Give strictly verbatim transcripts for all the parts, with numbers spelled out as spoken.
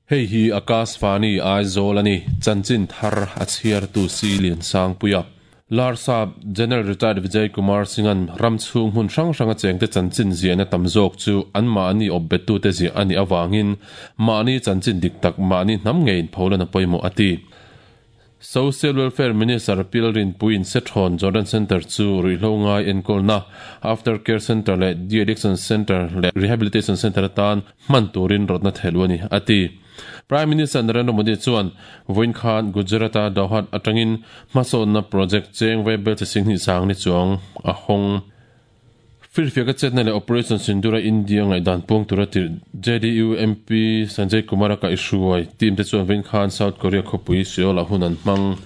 Hei hi Akashvani Aizawl ani chanchin thar a chhiar tu si lian sang puia Larsap General Retired Vijay Kumar Singh-an ram chhung hmun hrang hranga chengte chanchin ziahna tam zawk chu an mahni awpbettute ziah a nih avangin mahni chanchin dik tak mahni hnam ngeiin pholan a pawimawh a ti. Social Welfare Minister Pilrin Puin Sethon Jordan Center chu ruihhlo ngai enkawlna After Care Center leh De-Addiction Center leh Rehabilitation Center atan hman turin rawtna thehlu a ni a ti. Prime Minister Narendra Modi chuan vawiin khan Gujarat-a Dahod atangin hmasawnna project cheng vaibel chi singhnih sang ni chuang a hawng. Firfiaka chetna leh Operation Sindoor-a India ngaihdan puang tura tirh J D U M P Sanjay Kumar-a kaih hruai team te chuan vawiin khan South Korea khawpui Seoul-ah hun an hmang.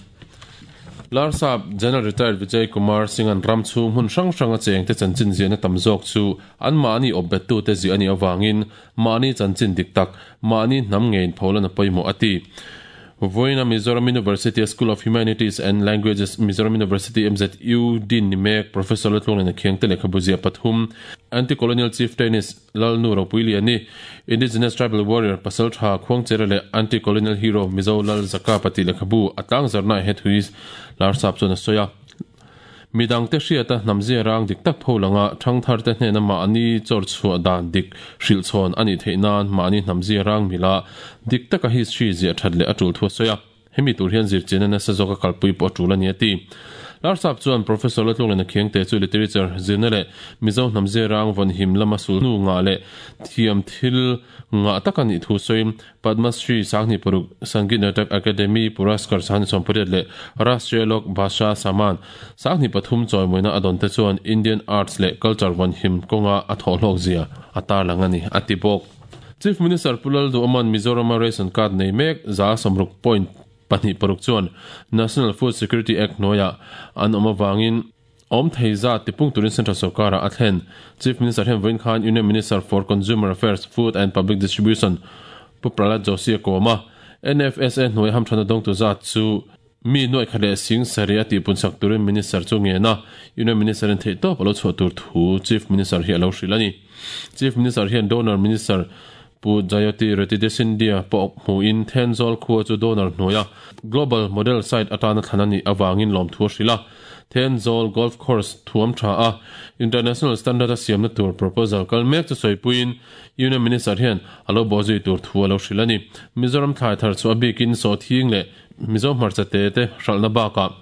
Larsap General Retired Vijay Kumar Singh-an ram chhung hmun hrang hranga chengte chanchin ziahna tam zawk chu anmahni awpbettute ziah a nih avangin mahni chanchin dik tak, mahni hnam ngeiin pholan a pawimawh a ti. Vawiina Mizoram University School of Humanities and Languages Mizoram University M Z U Dean ni mek Professor Laltlunglena Khiangte lehkhabu ziah pathum Anti-Colonial Chieftainess Lalnu Ropuiliani Indigenous Tribal Warrior Pasal Tha Khuangchera leh Anti-Colonial Hero Mizo Lal Zaka pati lehkhabu a tlangzarna he thui Larsap chuan a sawi a. Midangte hriata hnamzia rang dik tak pho langa thangthar te hnena mahni chawr chhuah dan dik hrilh chhawn a nih theih nan mahni hnamzia rang mila dik taka history ziah that leh a tul thu a sawi a. Hemi tur hian zirchian a nasa zawka kalpui pawh a tul a ni a ti. Larsap chuan Professor Laltlunglena Khiangte chu literature zirna leh Mizo hnamzia rang vawn him lama sul hnu ngah leh thiam thil ngah taka nih thu sawiin Padma Shri Sanghnih Paruk Sangeet Natak Akademi Puraskar Sanghnih Sawmpariat leh Rashtriya Lok Bhasha Samman Sanghnih pathum chawimawina a dawn te chuan Indian Arts leh Culture vawn him kawnga a thawhhlawk zia a tarlang a ni a ti bawk. Chief Minister Pu Lalduhawman Mizorama ration card nei mek za sawmruk point pahnih paruk chuan National Food Security Act hnuaiah an awm avangin awm thei zat tipung turin Central Sarkar-ah a thlen. Chief Minister hian vawiin khan Union Minister for Consumer Affairs, Food and Public Distribution Pu Prahlad Joshi a kawm a. N F S A hnuai hamthana dawngtu zat chu mi nuaih khat leh sing sarih a tihpunsak turin Minister chu ngen a, Union Minister in theihtawp a lo chhuah tur thu Chief Minister hi a lo hrilh a ni. Chief Minister hian Donor Minister Pu Jayoti Retides India pawh hmuhin Thenzawl khua chu donor hnuaia Global Model Site atana thlan a nih avangin lawmthu a hrilh a. Thenzawl Golf Course thuam tha a, International Standard a siamna tur proposal kal mek chu sawipuiin Union Minister hian a lo bawhzui tur thu a lo hrilh a ni. Mizoram thlai thar chu a bikin sawhthing leh Mizo hmarcha te te hralhna bakah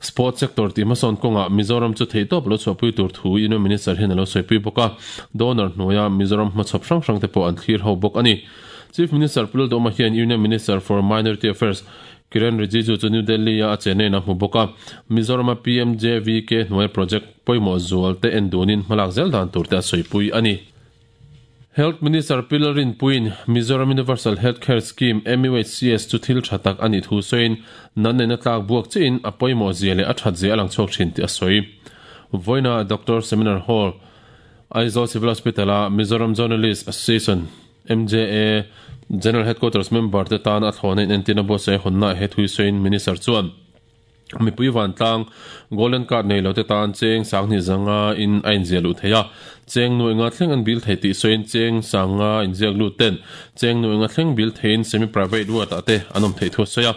Sports sector tih hmasawn kawngah Mizoram chu theihtawp lo chhuahpui tur thu Union Minister hian a lo sawipui bawk a, donor hnuaia Mizoram hmachhawp hrang hrang te pawh an thlir ho bawk a ni. Chief Minister Pu Lalduhawma hian Union Minister for Minority Affairs Kiren Rijiju chu New Delhi-a a chenna a hmu bawk a, Mizorama P M J V K hnuaia project pawimawh zual te en dunin hmalak zel dan tur te a sawipui a ni. Health Minister Pi Lalrinpuiin Mizoram Universal Health Care Scheme, M U H C S, chu thil tha tak a nih thu sawiin nan nena tlak buak chiin a pawimawh zia leh a that zia a lang chhuak thin tih a sawi. Vawiina Doctor Seminar Hall, Aizawl Civil Hospital-a Mizoram Journalist Association, M J A, General Headquarters member te tan a thlawhna in entirna buatsaih hawnna he thui sawiin Minister chuan mipui vantlang Golden Card nei lo te tan cheng sanghnih zanga in a inziah luh thei a, cheng nuaih nga thleng an bil thei tih sawiin cheng sanga inziak lut ten cheng nuaih nga thleng bil theiin semi-private ward ah te an awm theih thu a sawi a.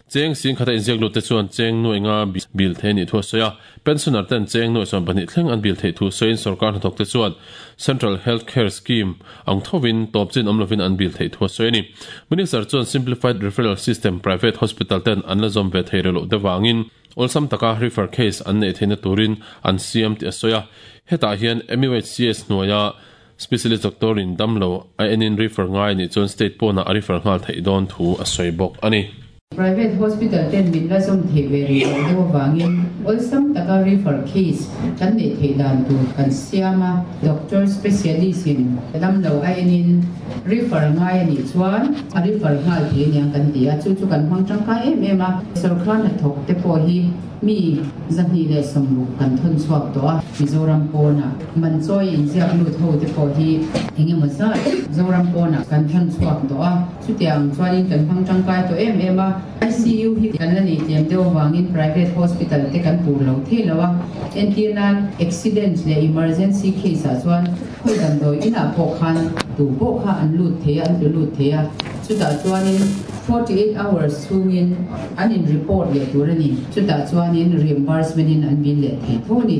Cheng sing khata inziak lut te chuan cheng nuaih nga bil thei nih thu a sawi a, pensioner ten cheng nuaih sawm pahnih thleng an bil theih thu sawiin sorkar hnathawk te chuan Central Health Care Scheme ang thovin tawp chin awm lovin an bil theih thu a sawi a ni. Minister chuan Simplified Referral System private hospital ten an la zawm ve thei rih loh devangin awlsam taka refer case an neih theihna turin an siam tih a sawi a. Hetah hian M U H C S hnuaia specialist doctor in damlo a enin refer ngai nih chuan state pawnah a refer nghal theih dawn thu a sawi bawk a ni. Private hospital ten min la zawm theih ve rih loh deuh avangin awlsam taka refer case kan neih theih dan tur kan siam a, doctor specialist in damlo a enin refer ngai a nih chuan a refer nghal thei aniang kan ti a, chu chu kan hmang tangkai em em a. Sorkar hnathawk te pawh hi mi zahnih leh sawmruk kan thawn chhuak tawh a, Mizoram pawnah manchawi inziak lut ho te pawh hi eng emaw zat Zoram pawnah kan thawn chhuak tawh a, chutiang chuanin kan hmang tangkai tawh em em a. I C U hi kan la nei tlem deuh avangin private hospital te kan tur lo thei lo a, entir nan accident leh emergency case ah chuan khawi damdawi inah pawh khan Tu pawh kha an lut thei a, an tlu lut thei a. Chutah chuanin forty-eight hours chhungin an in report leh tur a ni. Chutah chuanin reimbursement in an bill leh thei tho a ni.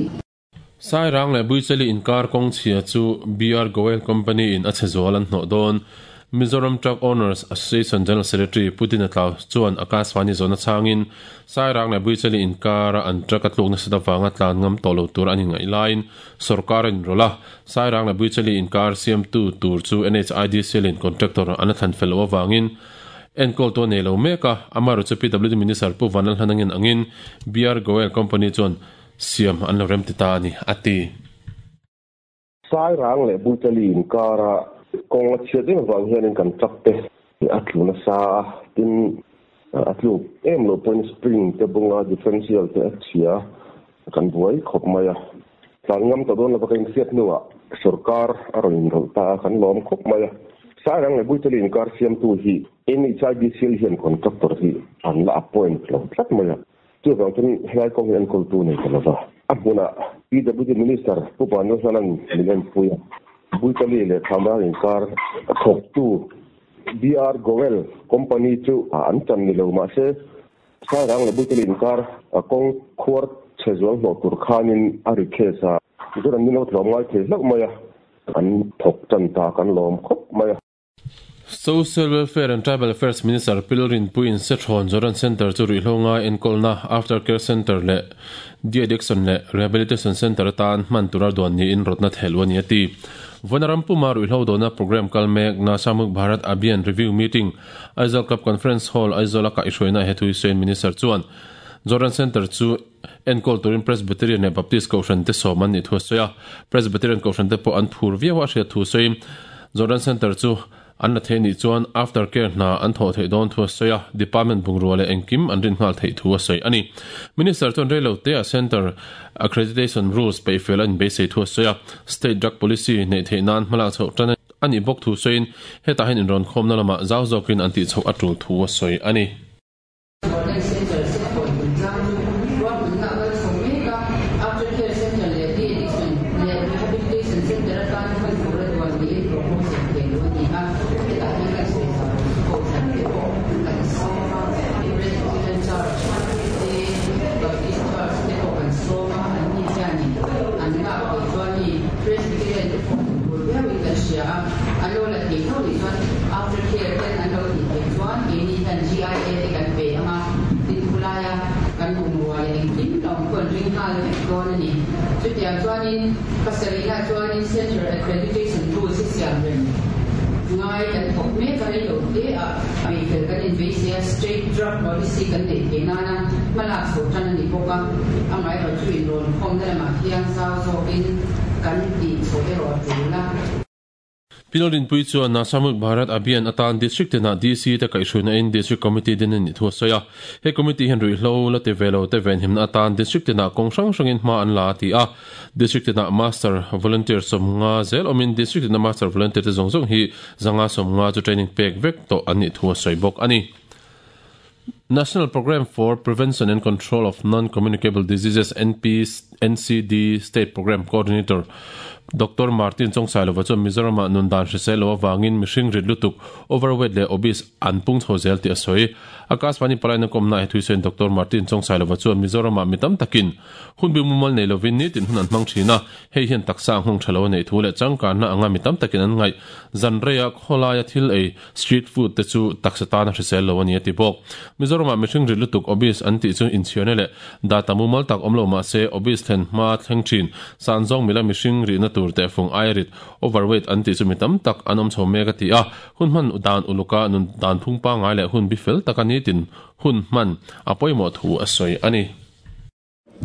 Sairang leh Buichali inkar kawng chhia chu B R Goel Company in a chhe zual an hnawh dawn. Mizoram Truck Owners Association General Secretary Putin Atlau chuan Akashvani zawhna changin Sairang leh Buichali inkara an truck a tlukna sat avanga tlan ngam tawh lo tur an inngaih laiin sorkar a inrawlh a. Sairang leh Buichali inkar siamtu tur chu N H I D C L in contractor an a thlan fel loh avangin enkawl tu a nei lo mek a. Amaherawhchu P W D Minister Pu Vanlal Hlanangin angin B R Goel Company chuan siam an lo rem ti ta a ni, a ti. Sairang leh Buichali inkara kawng a chhiat em avang hianin kan truck te a tluna sa a, tin a tluk em lo pawhin spring te bunga differential te a chhia kan buai khawp mai a. Tlan ngam ta dawn lova ka inhriat hnuah sorkar a rawn inrawlh ta a, kan lawm khawp mai a. Sairang leh Buichali inkar siamtu hi N H I D C L hian contractor hi an la appoint lo tlat mai a. Chuvang chuan helai kawng hi enkawltu nei ta lova. A hmunah P W D Minister Pu Vanlal Hlanan min enpui a. Buichali leh Thamrang inkar thawktu B R Goel Company chu an chan ni lo mahse Sairang leh Buichali inkar kawng khuar chhe zual hnawh tur khanin a ri case a. Chuan an ni lo tlawm ngai thei hlauh mai a, an thawk chan ta kan lawm khawp mai a. Social Welfare and Tribal Affairs Minister Pilrin Puin Sethon Jordan Center chu ruihhlo enkolna Aftercare Center leh De-addiction leh Rehabilitation Center atan hman tura duan niin rawtna thel ani a ti. Vanaram puma ruihhlo dona program kalmek na Samuk Bharat Abhiyan Review Meeting Aizawl Club Conference Hall Aizawl ka ihruaina hethui Saint Minister chuan Jordan Center chu enkol turin Presbyterian leh Baptist Kohhran te sawm an ni thu a sawi a. Presbyterian Kohhran te pawh an phur viau a hriat thu sawiin Jordan Center chu an la thei ni chuan aftercare hna an thaw thei dawn thu a sawi a. Department bungrua leh engkim an rin nghal theih thu a sawi a ni. Minister chuan reilo te a center accreditation rules pe fel an beisei thu a sawi a. State drug policy nei theih nan hmalak chhoh tan ani bawk thu sawiin hetah hian inrawn khawmna lamah zau zawkin an tih chhoh a tul thu a sawi a ni. Jordan Center Sethon chungchang chu ruahmanna kal chho mek a. Aftercare Center leh De-addiction leh Rehabilitation Center atan hman tura duan niin proposal thei lo a ni a. Hetah hian kan sawi zau Kohhran te pawh kan sawm a. Presbyterian Church te Baptist Church te pawh kan sawm a. An ni hianin an lak thei chuan ni Presbyterian te pawh phur viauin kan hria a. An lo la thei tho ni chuan aftercare ten an lo tih theih chuan keini hian G I A te kan pe anga. Tin khulaia kan bungrua leh engkim lo khuan ring nghal vek dawn a ni. Chutiang chuanin pasarihna chuanin Center Accreditation Rules hi siam rem ngai kan thawk mek a reilo te a peifel kan inbeisei a. State Drug Policy kan nei thei nana hmalak chho tan a ni bawk a. Amaherawhchu chu inrawn khawmna lamah hian zau zawkin kan tih chho erawh a tul a. Pilrin Pui chuan na Samuk Bharat Abhiyan atan district tena D C te kaihhruaina in district committee din ani thu a sawi a. He committee hian ruihhlo la ti velo te ven himna atan district tena kawng hrang hrangin hma an la ti a. District tena master volunteer sawmnga zel awmin district tena master volunteer te zawng zawng hi zanga sawmnga chu training pek vek tawh an nih thu a sawi bawk a ni. National Program for Prevention and Control of Non-Communicable Diseases N P N C D State Program Coordinator Doctor Martin Chongsailova chuan Mizoram ah nundan hrisel lo awangin mihring rit lutuk overweight leh obese an pung chho zel tih a sawi. Akashvani palaina kawmna he thuisawiin Doctor Martin Chongsailova chuan Mizoram ah mi tam takin hun bi mumal nei lovin ni tin hun an hmang thin a. Hei hian taksa ang hung tha lo a nei thu leh changkanna anga mi tam takin an ngaih zanreia khawlaia thil ei street food te chu taksa tana hrisel lo a ni a ti bawk. Mizoram ah mihring rit lutuk obese an tih chu inchhiarna leh data mumal tak awm lo mahse obese thlen hma thleng thin san zawng mila mihring rihna tur te fung airit overweight an ti chu mi tam tak an awm chho mek a ti a. Hun hman dan uluka nun dan phung pa ngai leh hun bi fel tak ani tin hun hman a pawimawh thu a sawi a ni.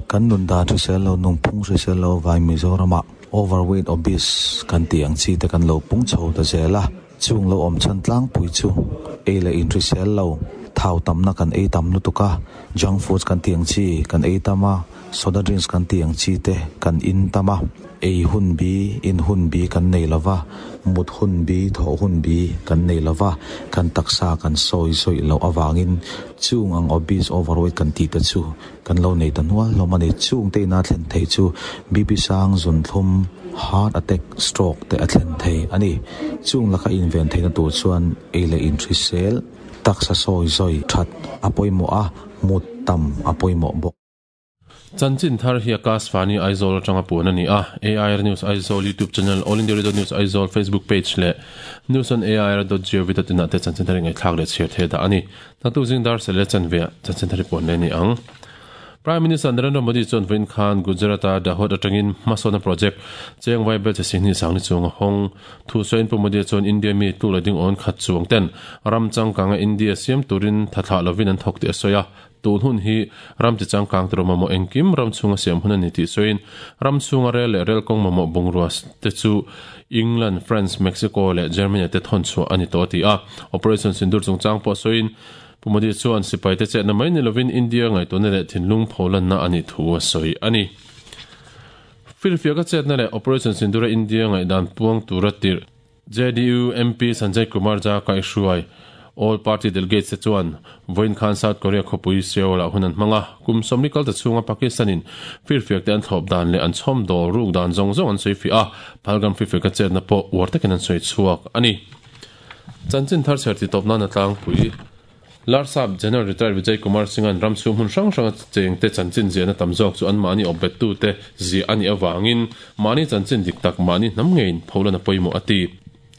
Kan nun dan hrisel lo nung phung hrisel lo vai Mizoram ah overweight obese kan ti ang chi te kan lo pung chho ta zel a. Chung lo awm chan tlang pui chu ei leh in hrisel lo thau tamna kan ei tam lutuk a. Junk foods kan ti ang chi kan ei tam a. Soda drinks kan ti ang chi te kan in tama ei hun bi in hun bi kan nei lova mut hun bi tho hun bi kan nei lova kan taksa kan soi soi lo awangin chung ang obese overweight kan ti te chu kan lo nei ta nual lo mani chung te na thlen thei chu B P sang zun thlum heart attack stroke te a thlen thei ani chung laka invent theina tur chuan ei le in trisel taksa soi soi that apoimo a mut tam apoimo bok. Chanchin thar hi Akashvani Aizawl atanga puan ani a A I R News Aizawl YouTube channel, All India Radio News Aizawl Facebook page le news on A I R dot gov dot in te chanchin thar ngai thlak le chher the da ani tatu jing dar sele chanve chanchin thar puan le ni ang. Prime Minister Narendra Modi chuan Vin Khan Gujarata Dahod atangin Masona project cheng vai bel che ni sang ni chung hong thu soin pu Modi chuan India mi tu lading on khat chuang ten ram chang kanga India siam turin thatha lovin an thok te soya tun hun hi ram chi chang kang tro mamo engkim ram chunga siam hun ani ti soin ram chunga rel rel kong mamo bungruas te chu England, France, Mexico le Germany te thon chu ani to ti a Operation Sindur chung chang po soin Pumadi chuan sipai te che na mai ni lovin India ngai to ne le thinlung pholan na ani thu a soi ani Filfia ka chet na le Operation Sindura India ngai dan puang turatir J D U M P Sanjay Kumar Jha kai hruai All Party Delegates te chuan Voin Khan South Korea khopui Seoul a hunan hmanga kum somni kal ta chunga Pakistanin firfiak te an thop dan le an chhom dol ruk dan zong zong an soi fi a Palgam firfiak ka chet na po war takin an soi chuak ani chanchin thar cher ti top na na tlang pui Larsap General Retired Vijay Kumar Singh an ram chu hun hrang hrang cheng te chanchin ziana tam zawk chu an mani obet tu te zi ani awangin mani chanchin dik tak mani nam ngein pholana poimo ati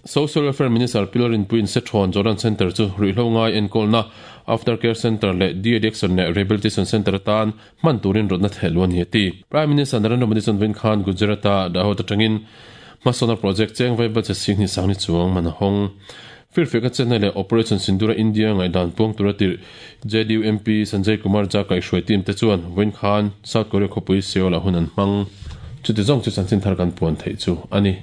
Social Welfare Minister Pilorin Puin Sethon Jordan Center chu ruihlo ngai enkawl na Aftercare Center le De-addiction le Rehabilitation Center tan man turin rotna thelwan hi ati Prime Minister Narendra Modi chuan Vin Khan Gujarata Dahod atangin Masona project cheng vai ba che sing ni sang ni chuang man hong Firfeka channel le Operation Sindura India ngai dan puang turatir J D U M P Sanjay Kumar Jha kai hruai team te chuan Vin Khan South Korea khopui Seoul a hunan hmang chuti zong chu chanchin thar kan puan thei chu ani.